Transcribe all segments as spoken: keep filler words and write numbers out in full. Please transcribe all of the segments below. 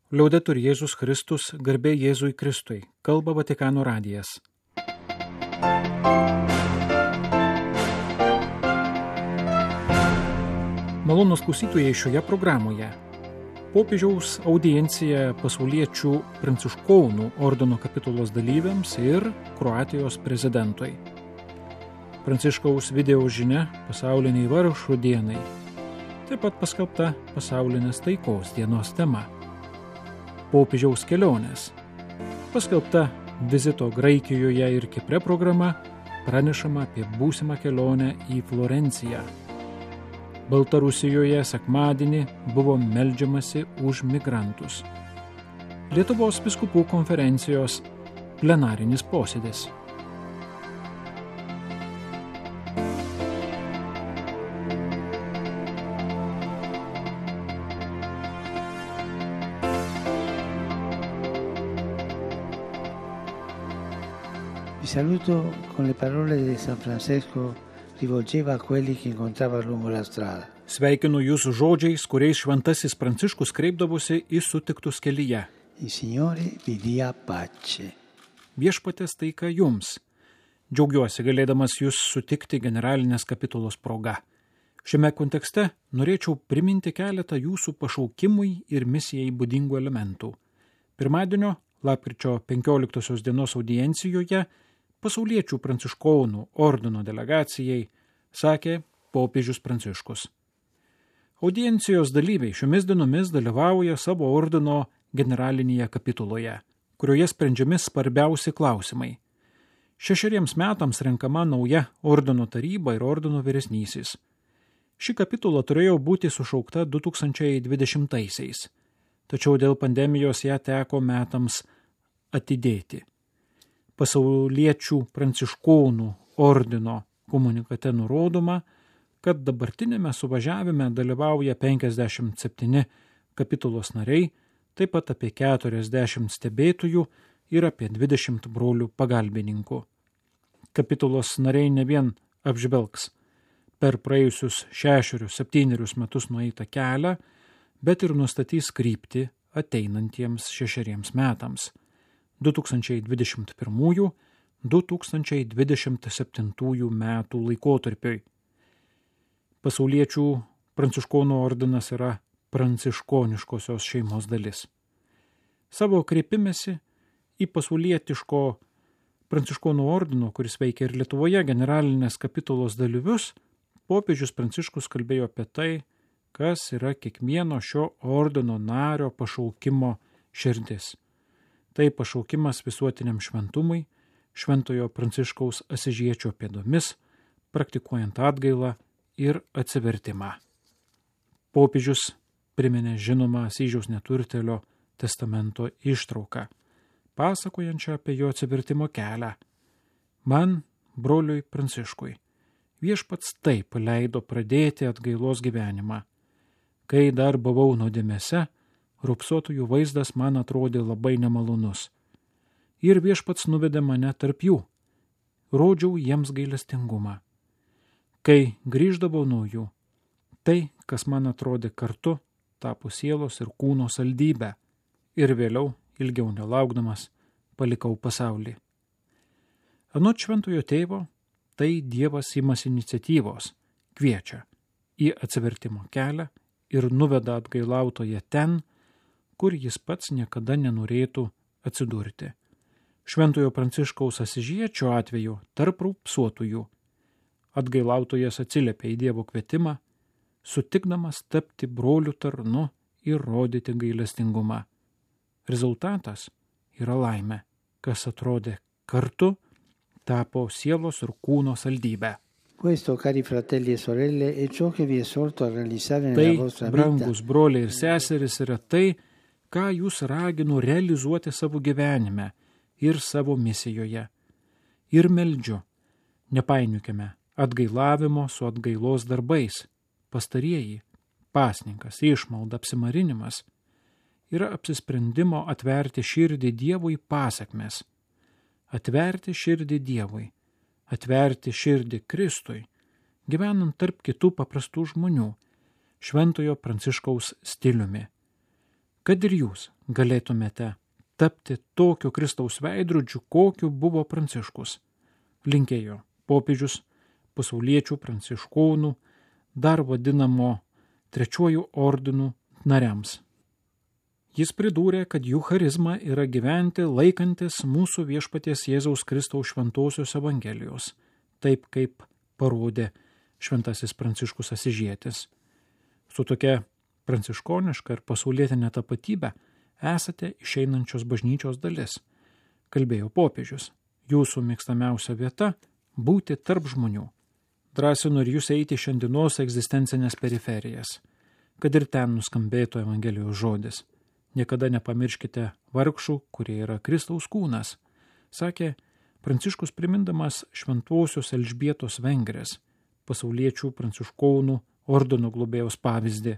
Liaudetur Jėzus Kristus, garbė Jėzui Kristui, kalba Vatikano radijas. Malonūs klausytojai, šioje programoje popiežiaus audiencija pasauliečių pranciškonų ordino kapitulos dalyviams ir Kroatijos prezidentui. Pranciškaus video žinia pasauliniai vargšų dienai, taip pat paskelbta pasaulinės taikos dienos tema. Popiežiaus kelionės. Paskelbta vizito Graikijoje ir Kipre programa, pranešama apie būsimą kelionę į Florenciją. Baltarusijoje sekmadienį buvo meldžiamasi už migrantus. Lietuvos vyskupų konferencijos plenarinis posėdis. Vi saluto con le parole di San Francesco rivolgeva a quelli che incontrava lungo la strada. Sveikinu jūsų žodžiais, kuriais šventasis Pranciškus kreipdavosi į sutiktus kelyje. Il Signore vi dia pace. Viešpaties taika jums. Džiaugiuosi galėdamas jūs sutikti generalinės kapitulos proga. Šiame kontekste norėčiau priminti keletą jūsų pašaukimui ir misijai būdingų elementų. Pirmadienio, lapkričio penkioliktosios dienos audiencijoje, pasauliečių pranciškonų ordino delegacijai sakė popiežius Pranciškus. Audiencijos dalyviai šiomis dienomis dalyvauja savo ordino generalinėje kapituloje, kurioje sprendžiami svarbiausi klausimai. Šešeriems metams renkama nauja ordino taryba ir ordino vyresnysis. Ši kapitula turėjo būti sušaukta du tūkstančiai dvidešimtaisiais, tačiau dėl pandemijos ją teko metams atidėti. Pasauliečių pranciškonų ordino komunikate nurodoma, kad dabartinėme suvažiavime dalyvauja penkiasdešimt septyni kapitulos nariai, taip pat apie keturiasdešimt stebėtojų ir apie dvidešimt brolių pagalbininkų. Kapitulos nariai ne vien apžvelgs per praėjusius šešerius septynerius metus nueitą kelią, bet ir nustatys kryptį ateinantiems šešeriems metams. du tūkstančiai dvidešimt pirmųjų - du tūkstančiai dvidešimt septintųjų metų laikotarpiui. Pasauliečių pranciškonų ordinas yra pranciškoniškosios šeimos dalis. Savo kreipimesi į pasaulietiško pranciškonų ordino, kuris veikia ir Lietuvoje, generalinės kapitulos dalyvius, popiežius Pranciškus kalbėjo apie tai, kas yra kiekvieno šio ordino nario pašaukimo širdis. Tai pašaukimas visuotiniam šventumui, šventojo Pranciškaus Asyžiečio pėdomis, praktikuojant atgailą ir atsivertimą. Popiežius priminė žinomą Asyžiaus neturtėlio testamento ištrauką, pasakojančią apie jo atsivertimo kelią. Man, broliui Pranciškui, viešpats taip leido pradėti atgailos gyvenimą. Kai dar buvau nuodėmėse, rupsuotojų vaizdas man atrodė labai nemalonus. Ir viešpats nuvedė mane tarp jų. Rodžiau jiems gailestingumą. Kai grįždavau nuo jų, tai, kas man atrodė kartu, tapo sielos ir kūno saldybę. Ir vėliau, ilgiau nelaukdamas, palikau pasaulį. Anot šventojo tėvo, tai Dievas imasi iniciatyvos, kviečia į atsivertimo kelią ir nuveda atgailautoje ten, kur jis pats niekada nenorėtų atsidurti. Šventojo Pranciškaus Asyžiečio atveju tarp rupsuotųjų. Atgailautojas atsiliepia į Dievo kvietimą, sutikdamas tapti brolių tarnu ir rodyti gailestingumą. Rezultatas yra laimė, kas atrodė kartu, tapo sielos ir kūno saldybę. Questo, cari fratelli e sorelle, è ciò che vi esorto a realizzare nella vostra Tai, vita. brangus broliai ir seserys, yra tai, ką jūs raginu realizuoti savo gyvenime ir savo misijoje. Ir meldžiu, nepainiukime atgailavimo su atgailos darbais. Pastarieji, pasninkas, išmalda, apsimarinimas, yra apsisprendimo atverti širdį Dievui pasekmes. Atverti širdį Dievui, atverti širdį Kristui, gyvenant tarp kitų paprastų žmonių, šventojo Pranciškaus stiliumi. kad ir jūs galėtumėte tapti tokiu Kristaus veidrodžiu, kokiu buvo Pranciškus. Linkėjo popiežius pasauliečių pranciškonų, dar vadinamo trečiuoju ordinu nariams. Jis pridūrė, kad jų charizma yra gyventi laikantis mūsų viešpaties Jėzaus Kristaus šventosios evangelijos, taip kaip parodė šventasis Pranciškus Asižietis. Su tokia pranciškoniška ir pasaulietinė tapatybė esate išeinančios bažnyčios dalis, kalbėjo popiežius. Jūsų mėgstamiausia vieta – būti tarp žmonių. Drąsinu ir jūs eiti šiandienos egzistencinės periferijas, kad ir ten nuskambėtų Evangelijos žodis. Niekada nepamirškite vargšų, kurie yra Kristaus kūnas, sakė Pranciškus primindamas šventosios Elžbietos Vengrės, pasauliečių pranciškonų ordino globėjos pavyzdį.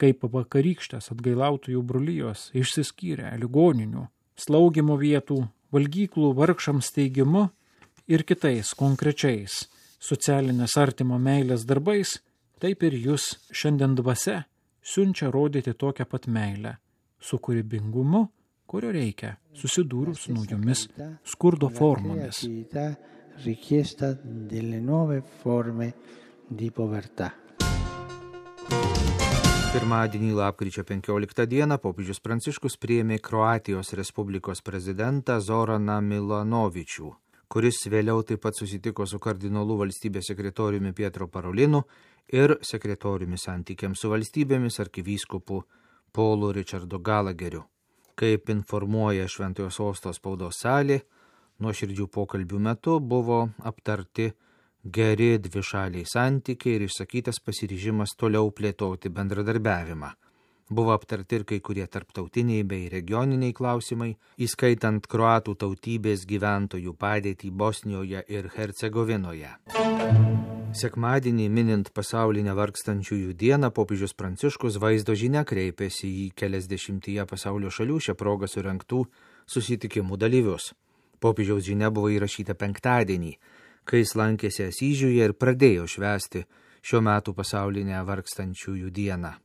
Kaip vakarykštės atgailautojų brolijos išsiskyrė ligoninių, slaugimo vietų, valgyklų vargšams teigimu ir kitais konkrečiais socialinės artimo meilės darbais, taip ir jūs šiandien dvasia siunčia rodyti tokią pat meilę, su kūrybingumu, kurio reikia susidūrus su naujomis skurdo formomis. Richiesta delle nuove forme di povertà. Pirmadienį lapkričio penkioliktą dieną popiežius Pranciškus priėmė Kroatijos Respublikos prezidentą Zoraną Milanovičių, kuris vėliau taip pat susitiko su kardinolu valstybės sekretoriumi Pietro Parolinu ir sekretoriumi santykiams su valstybėmis arkivyskupu Paulu Richardu Galageriu. Kaip informuoja Šventojo Sosto spaudos salė, nuoširdžių pokalbių metu buvo aptarti geri dvišaliai santykiai ir išsakytas pasiryžimas toliau plėtoti bendradarbiavimą. Buvo aptarti ir kai kurie tarptautiniai bei regioniniai klausimai, įskaitant kroatų tautybės gyventojų padėtį Bosnijoje ir Hercegovinoje. Sekmadienį minint pasaulinę vargstančiųjų dieną, popiežius Pranciškus vaizdo žinia kreipėsi į keliasdešimtyje pasaulio šalių šią progą surengtų susitikimų dalyvius. Popiežiaus žinia buvo įrašyta penktadienį, kai jis lankėsi Asyžiuje ir pradėjo švęsti šio metų pasaulinę vargstančiųjų dieną.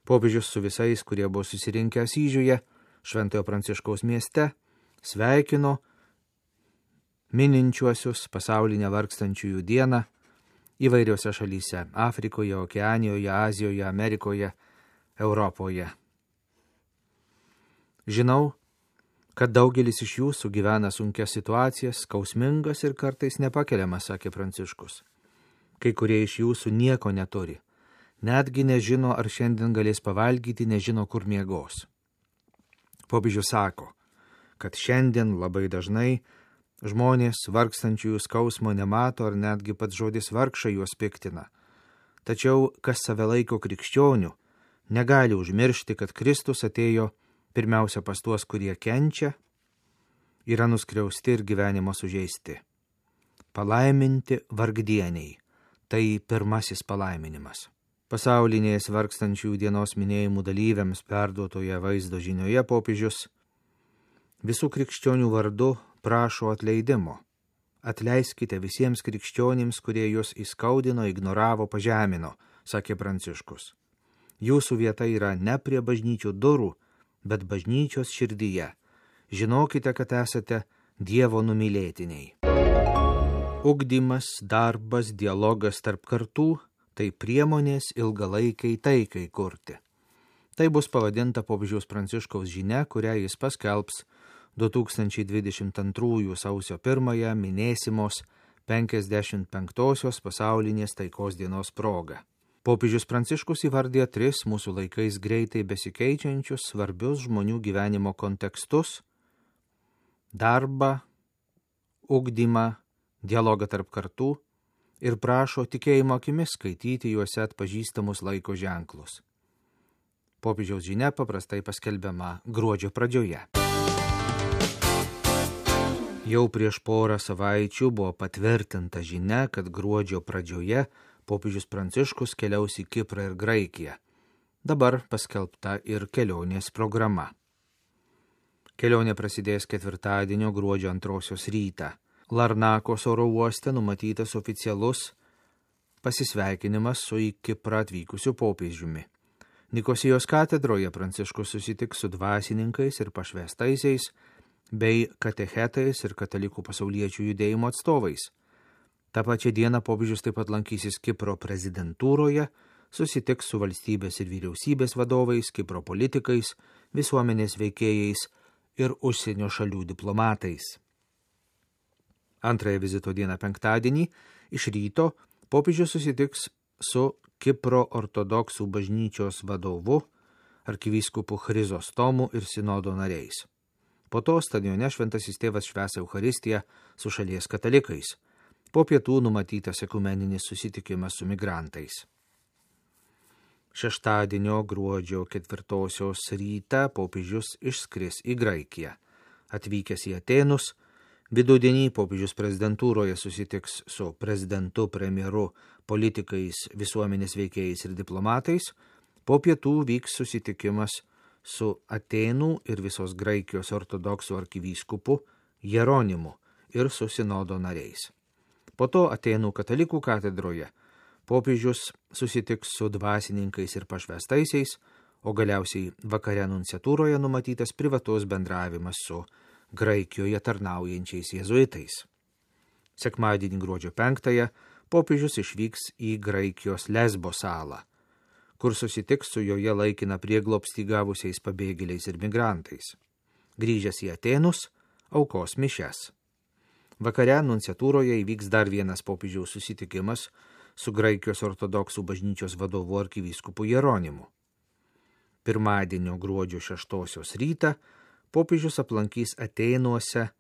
Popiežius su visais, kurie buvo susirinkę Asyžiuje, Šventojo Pranciškaus mieste, sveikino mininčiuosius pasaulinę vargstančiųjų dieną įvairiose šalyse – Afrikoje, Okeanijoje, Azijoje, Amerikoje, Europoje. Žinau, kad daugelis iš jūsų gyvena sunkias situacijas, skausmingas ir kartais nepakeliamas, sakė Pranciškus. Kai kurie iš jūsų nieko neturi. Netgi nežino, ar šiandien galės pavalgyti, nežino, kur miegos. Popiežius sako, kad šiandien labai dažnai žmonės vargstančiųjų skausmo nemato, ar netgi pats žodis vargšai juos piktina. Tačiau, kas save laiko krikščionių, negali užmiršti, kad Kristus atėjo pirmiausia pas tuos, kurie kenčia, yra nuskriausti ir gyvenimo sužeisti. Palaiminti vargdieniai – tai pirmasis palaiminimas. Pasaulinės vargstančiųjų dienos minėjimų dalyviams perduotoje vaizdo žinioje popiežius visų krikščionių vardu prašo atleidimo. Atleiskite visiems krikščionims, kurie jūs įskaudino, ignoravo, pažemino, sakė Pranciškus. Jūsų vieta yra ne prie bažnyčių durų, bet bažnyčios širdyje. Žinokite, kad esate Dievo numylėtiniai. Ugdymas, darbas, dialogas tarp kartų – tai priemonės ilgalaikiai taikai kurti. Tai bus pavadinta popiežiaus Pranciškaus žinia, kurią jis paskelbs du tūkstančiai dvidešimt antrųjų sausio pirmąją minėsimos penkiasdešimt penktosios pasaulinės taikos dienos proga. Popiežius Pranciškus įvardė tris mūsų laikais greitai besikeičiančius svarbius žmonių gyvenimo kontekstus – darbą, ugdymą, dialogą tarp kartų ir prašo tikėjimo akimis skaityti juose atpažįstamus laiko ženklus. Popiežiaus žinia paprastai paskelbiama gruodžio pradžioje. Jau prieš porą savaičių buvo patvirtinta žinia, kad gruodžio pradžioje popiežius Pranciškus keliaus į Kiprą ir Graikiją. Dabar paskelbta ir kelionės programa. Kelionė prasidės ketvirtadienio gruodžio antrosios rytą. Larnakos oro uoste numatytas oficialus pasisveikinimas su į Kiprą atvykusiu popiežiumi. Nikosijos katedroje Pranciškus susitiks su dvasininkais ir pašvestaisiais, bei katechetais ir katalikų pasauliečių judėjimo atstovais. Ta pačia diena popiežius taip pat lankysis Kipro prezidentūroje, susitiks su valstybės ir vyriausybės vadovais, Kipro politikais, visuomenės veikėjais ir užsienio šalių diplomatais. Antrąją vizito dieną penktadienį iš ryto popiežius susitiks su Kipro ortodoksų bažnyčios vadovu, arkivyskupu Chrizostomu ir sinodo nariais. Po to stadione šventasis tėvas švęs Eucharistiją su šalies katalikais. Po pietų numatytas ekumeninis susitikimas su migrantais. Šeštadienio gruodžio ketvirtosios rytą popiežius išskris į Graikiją. Atvykęs į Atėnus, vidudienį popiežius prezidentūroje susitiks su prezidentu, premjeru, politikais, visuomenės veikėjais ir diplomatais. Po pietų vyks susitikimas su Atėnų ir visos Graikijos ortodoksų arkivyskupu Jeronimu ir su sinodo nariais. Po to Atėnų katalikų katedroje popiežius susitiks su dvasininkais ir pašvestaisiais, o galiausiai vakare nunciatūroje numatytas privatus bendravimas su Graikijoje tarnaujančiais jėzuitais. Sekmadienį gruodžio penktąją popiežius išvyks į Graikijos Lesbo salą, kur susitiks su joje laikiną prieglobstį gavusiais pabėgėliais ir migrantais. Grįžęs į Atėnus, aukos mišias. Vakare nunciatūroje įvyks dar vienas popiežiaus susitikimas su Graikijos ortodoksų bažnyčios vadovu arkivyskupu Jeronimu. Pirmadienio gruodžio šeštosios rytą popiežius aplankys Atėnuose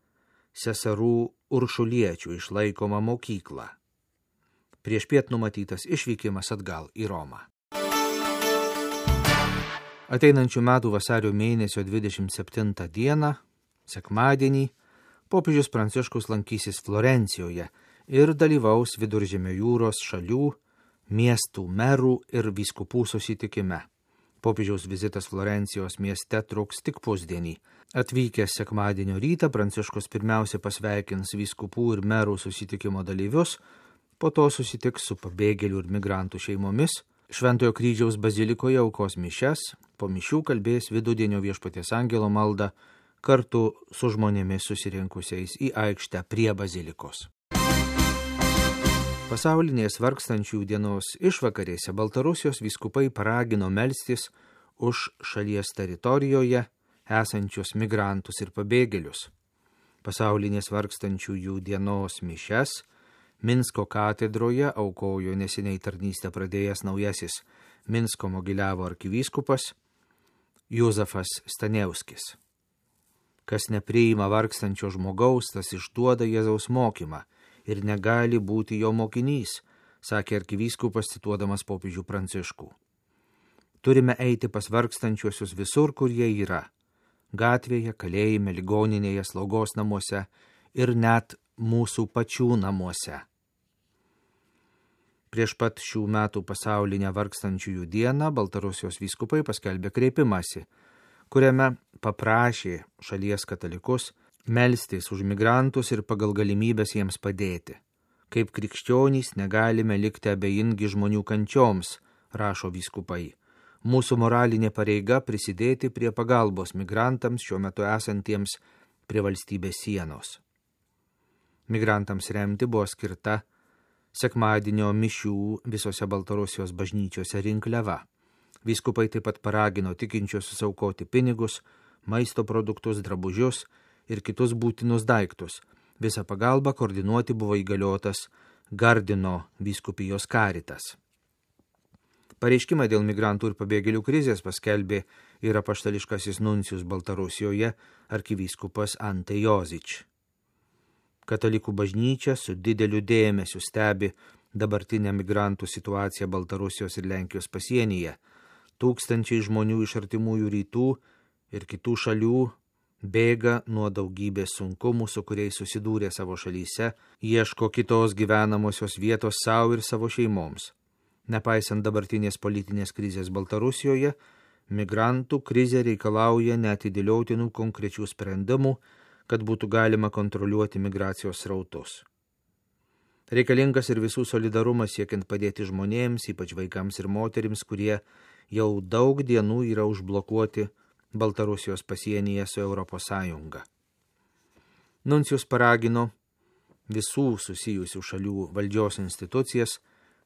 seserų uršuliečių išlaikomą mokyklą. Prieš piet numatytas išvykimas atgal į Romą. Ateinančių metų vasario mėnesio dvidešimt septintą dieną, sekmadienį, popiežius Pranciškus lankysis Florencijoje ir dalyvaus Viduržemio jūros šalių, miestų merų ir vyskupų susitikime. Popiežiaus vizitas Florencijos mieste truks tik pusdienį. Atvykęs sekmadienio rytą, Pranciškus pirmiausia pasveikins vyskupų ir merų susitikimo dalyvius, po to susitiks su pabėgėlių ir migrantų šeimomis, Šventojo kryžiaus bazilikoje aukos mišias, po mišių kalbės vidudienio viešpaties angelo maldą kartu su žmonėmis susirinkusiais į aikštę prie bazilikos. Pasaulinės vargstančių dienos išvakarėse Baltarusijos vyskupai paragino melstis už šalies teritorijoje esančius migrantus ir pabėgėlius. Pasaulinės vargstančiųjų dienos mišias Minsko katedroje aukojo neseniai tarnystę pradėjęs naujasis Minsko Mogiliavo arkivyskupas Juzefas Stanievskis. Kas nepriima vargstančio žmogaus, tas išduoda Jėzaus mokymą ir negali būti jo mokinys, sakė arkivyskupas cituodamas popiežių Pranciškų. Turime eiti pas vargstančiuosius visur, kur jie yra – gatvėje, kalėjime, ligoninėje, slaugos namuose ir net mūsų pačių namuose. Prieš pat šių metų pasaulinę vargstančiųjų dieną Baltarusijos vyskupai paskelbė kreipimąsi, kuriame paprašė šalies katalikus melstis už migrantus ir pagal galimybės jiems padėti. Kaip krikščionys negalime likti abejingi žmonių kančioms, rašo vyskupai. Mūsų moralinė pareiga prisidėti prie pagalbos migrantams šiuo metu esantiems prie valstybės sienos. Migrantams remti buvo skirta sekmadienio mišių visose Baltarusijos bažnyčiose rinkliava. Vyskupai taip pat paragino tikinčiuosius aukoti pinigus, maisto produktus, drabužius ir kitus būtinus daiktus. Visą pagalbą koordinuoti buvo įgaliotas Gardino vyskupijos karitas. Pareiškimą dėl migrantų ir pabėgėlių krizės paskelbė ir apaštališkasis nuncijus Baltarusijoje arkivyskupas Ante Jozič. Katalikų bažnyčia su dideliu dėmesiu stebi dabartinę migrantų situaciją Baltarusijos ir Lenkijos pasienyje. Tūkstančiai žmonių iš artimųjų rytų ir kitų šalių bėga nuo daugybės sunkumų, su kuriais susidūrė savo šalyse, ieško kitos gyvenamosios vietos savo ir savo šeimoms. Nepaisant dabartinės politinės krizės Baltarusijoje, migrantų krizė reikalauja neatidėliotinų konkrečių sprendimų, kad būtų galima kontroliuoti migracijos srautus. Reikalingas ir visų solidarumas siekiant padėti žmonėms, ypač vaikams ir moterims, kurie jau daug dienų yra užblokuoti Baltarusijos pasienyje su Europos Sąjunga. Nuncijus paragino visų susijusių šalių valdžios institucijas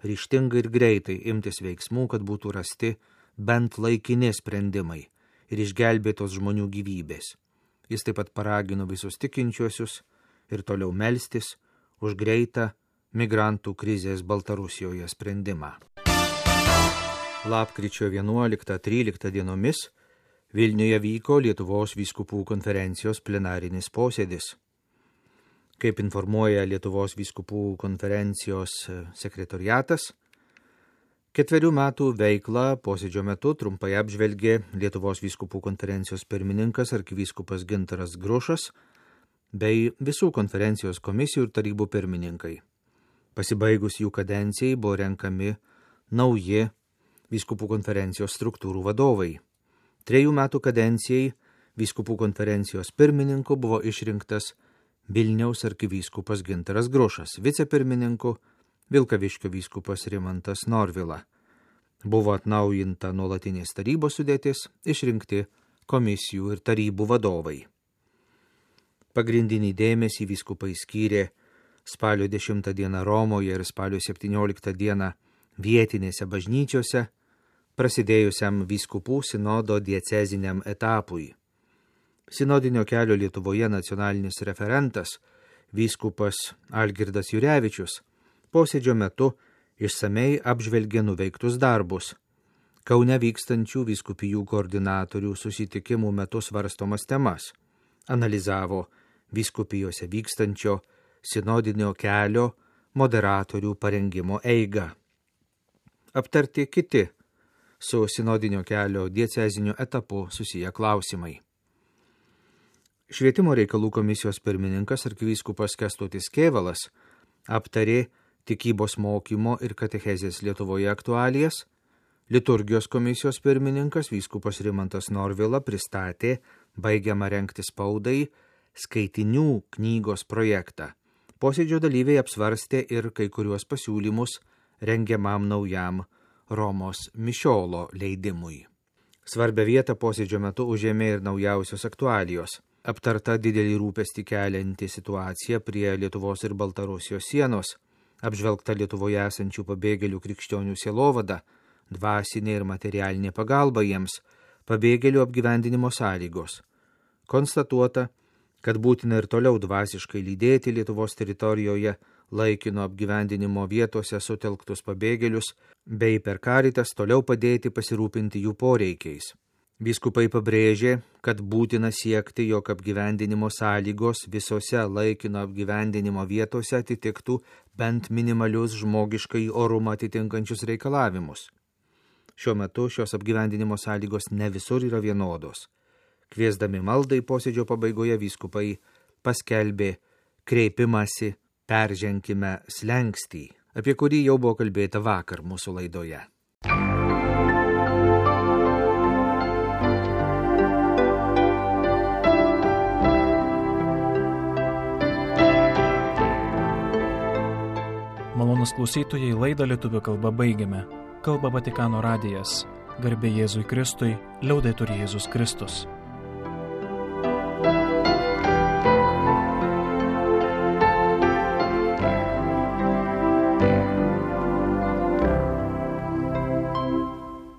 ryžtingai ir greitai imtis veiksmų, kad būtų rasti bent laikini sprendimai ir išgelbėtos žmonių gyvybės. Jis taip pat paragino visus tikinčiuosius ir toliau melstis už greitą migrantų krizės Baltarusijoje sprendimą. Lapkričio vienuoliktą tryliktą dienomis Vilniuje vyko Lietuvos vyskupų konferencijos plenarinis posėdis. Kaip informuoja Lietuvos vyskupų konferencijos sekretoriatas, ketverių metų veiklą posėdžio metu trumpai apžvelgė Lietuvos vyskupų konferencijos pirmininkas arkivyskupas Gintaras Grušas bei visų konferencijos komisijų ir tarybų pirmininkai. Pasibaigus jų kadencijai buvo renkami nauji vyskupų konferencijos struktūrų vadovai. Trejų metų kadencijai vyskupų konferencijos pirmininku buvo išrinktas Vilniaus arkivyskupas Gintaras Grušas, vicepirmininku Vilkaviškio vyskupas Rimantas Norvila. Buvo atnaujinta nuolatinės tarybos sudėtis, išrinkti komisijų ir tarybų vadovai. Pagrindinį dėmesį vyskupai skyrė spalio dešimtą dieną Romoje ir spalio septynioliktą dieną vietinėse bažnyčiose prasidėjusiam vyskupų sinodo dieceziniam etapui. Sinodinio kelio Lietuvoje nacionalinis referentas vyskupas Algirdas Jurevičius posėdžio metu išsamei apžvelgė nuveiktus darbus. Kaune vykstančių vyskupijų koordinatorių susitikimų metu svarstomas temas, analizavo vyskupijose vykstančio sinodinio kelio moderatorių parengimo eigą. Aptarti kiti su sinodinio kelio dieceziniu etapu susiję klausimai. Švietimo reikalų komisijos pirmininkas arkivyskupas Kęstutis Kėvalas aptarė tikybos mokymo ir katechezės Lietuvoje aktualijas, liturgijos komisijos pirmininkas vyskupas Rimantas Norvila pristatė baigiamą rengti spaudai skaitinių knygos projektą. Posėdžio dalyviai apsvarstė ir kai kuriuos pasiūlymus rengiamam naujam Romos mišiolo leidimui. Svarbią vietą posėdžio metu užėmė ir naujausios aktualijos. Aptarta didelį rūpestį kelianti situacija prie Lietuvos ir Baltarusijos sienos, apžvelgta Lietuvoje esančių pabėgėlių krikščionių sielovada, dvasinė ir materialinė pagalba jiems, pabėgėlių apgyvendinimo sąlygos. Konstatuota, kad būtina ir toliau dvasiškai lydėti Lietuvos teritorijoje laikino apgyvendinimo vietose sutelktus pabėgėlius, bei per Karitas toliau padėti pasirūpinti jų poreikiais. Vyskupai pabrėžė, kad būtina siekti, jog apgyvendinimo sąlygos visose laikino apgyvendinimo vietose atitiktų bent minimalius žmogiškai orumą atitinkančius reikalavimus. Šiuo metu šios apgyvendinimo sąlygos ne visur yra vienodos. Kviesdami maldai posėdžio pabaigoje vyskupai paskelbė kreipimąsi Perženkime slenkstį, apie kurį jau buvo kalbėta vakar mūsų laidoje. Malonus klausytojai, laidą lietuvių kalba baigiame. Kalba Vatikano radijas. Garbė Jėzui Kristui, liaudetur Jėzus Kristus.